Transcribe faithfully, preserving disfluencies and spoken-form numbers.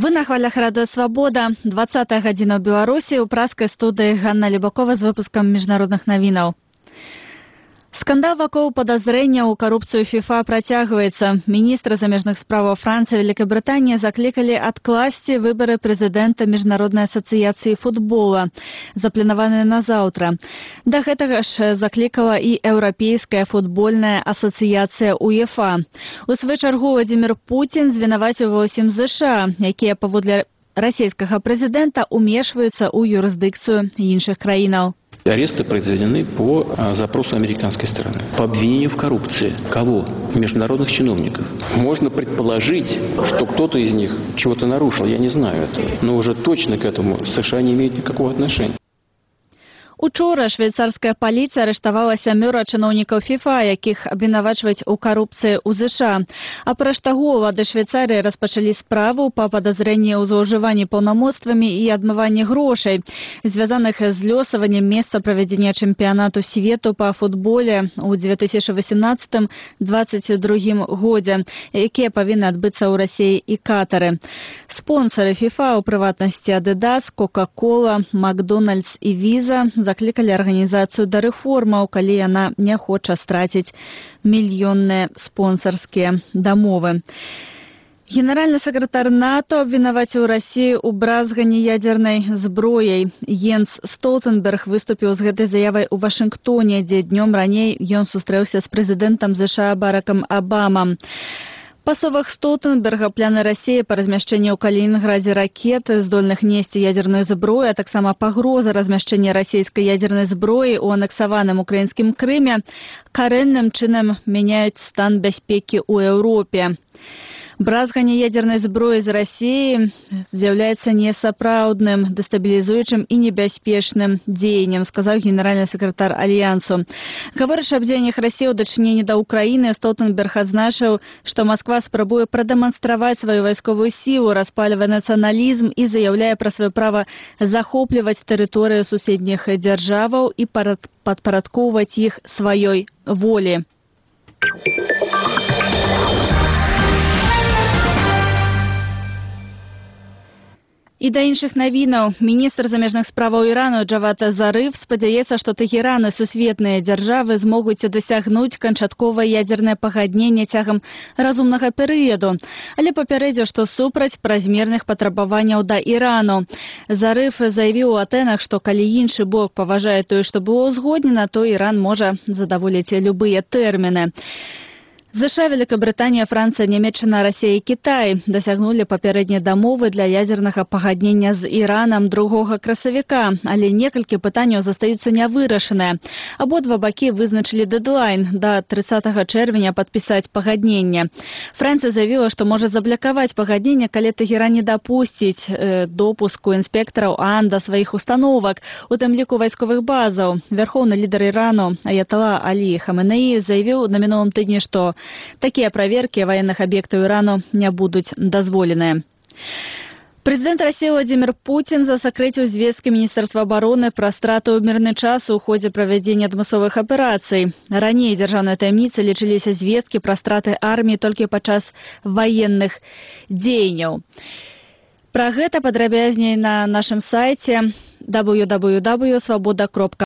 Вы на хвалях Радыё Свабода. двадцатая гадзіна ў Беларусі. У праскай студыі Ганна Любакова з выпускам міжнародных навінаў. Скандал вакол падазрэння ў карупцыю ФІФА працягваецца. Міністры замежных справаў Францыі і Вялікабрытаніі заклікалі адкласці выбары прэзідэнта Міжнароднай асацыяцыі футбола, запланаваныя на заўтра. Да гэтага ж заклікала і Еўрапейская футбольная асацыяцыя УЕФА. У сваю чаргу Владзімір Пуцін звінаваціў ва ўсім ЗША, якія паводле расійскага прэзідэнта умешваюцца ў юрысдыкцыю іншых краінаў. Аресты произведены по запросу американской стороны. По обвинению в коррупции. Кого? Международных чиновников. Можно предположить, что кто-то из них чего-то нарушил. Я не знаю этого. Но уже точно к этому США не имеют никакого отношения. Учора швейцарская паліцыя арыштавала сямёра чыноўнікаў ФІФА, якіх абвінавачваюць у карупцыі ў ЗША. Апроч таго, улады Швейцарыі распачалі справу па падазрэнні ў злоўжыванні паўнамоцтвамі і адмыванні грошай, звязаных з лёсаваннем месца правядзення чэмпіянату свету па футболе ў две тысячы васямнаццатым — дваццаць другім годзе, якія павінны адбыцца ў Расіі і Катары. Спонсары ФІФА, у прыватнасці Адыдас, Кока-кола, Макдональдс і Віза, заклікалі арганізацыю да рэформаў, калі яна не хоча страціць мільённыя спонсарскія дамовы. Генеральны сакратар НАТО абвінаваціў Расію ў бразганні ядзернай зброяй. Йенс Столтенберг выступіў з гэтай заявай у Вашынгтоне, дзе днём раней ён сустрэўся з прэзідэнтам ЗША Баракам Абамам. Па словах Столтенберга, планы Расіі па размяшчэнні ў Калінінградзе ракет, здольных несці ядзерную зброю, а таксама пагроза размяшчэння расійскай ядзернай зброі ў анексаваным украінскім Крыме карэнным чынам мяняюць стан бяспекі ў Еўропе. Бразганне ядзернай зброі з Расіі з'яўляецца несапраўдным, дэстабілізуючым і небяспечным дзеяннем, сказаў генеральны сакратар Альянсу. Гаворачы аб дзеяннях Расіі ў дачыненні да Ўкраіны, Столтенберг адзначыў, што Масква спрабуе прадэманстраваць сваю вайсковую сілу, распальвае нацыяналізм і заяўляе пра сваё права захопліваць тэрыторыю суседніх дзяржаваў і падпарадкоўваць іх сваёй волі. І да іншых навінаў. Міністр замежных справаў Ірану Джавад Зарыф спадзяецца, што Тэгеран і сусветныя дзяржавы змогуць дасягнуць канчатковае ядзернае пагадненне цягам разумнага перыяду, але папярэдзіў, што супраць празмерных патрабаванняў да Ірану. Зарыф заявіў у Атэнах, што калі іншы бок паважае тое, што было ўзгоднена, то Іран можа задаволіць любыя тэрміны. ЗША, Вялікабрытанія, Францыя, Нямецчына, Расія і Кітай дасягнулі папярэднія дамовы для ядзернага пагаднення з Іранам другога красавіка, але некалькі пытанняў застаюцца нявырашаныя. Абодва бакі вызначылі дэдлайн да трыццатага чэрвеня падпісаць пагадненне. Францыя заявіла, што можа заблакаваць пагадненне, калі Тэгеран не дапусціць э, допуску інспектараў ААН да сваіх установак, у тым ліку вайсковых базаў. Вярхоўны лідар Ірану Аятала Алі Хаменеі заявіў на мінулым тыдні, што такія праверкі ваенных аб'ектаў Ірану не будуць дазволеныя. Прэзідэнт Расіі Владзімір Пуцін засакрэціў звесткі Міністэрства абароны пра страту ў мірны час у ходзе правядзення адмысловых аперацый. Раней дзяржаўнай таямніцай лічыліся звесткі пра страты арміі толькі падчас ваенных дзеянняў. Пра гэта падрабязней на нашым сайце дабл ю дабл ю дабл ю крапка свабода крапка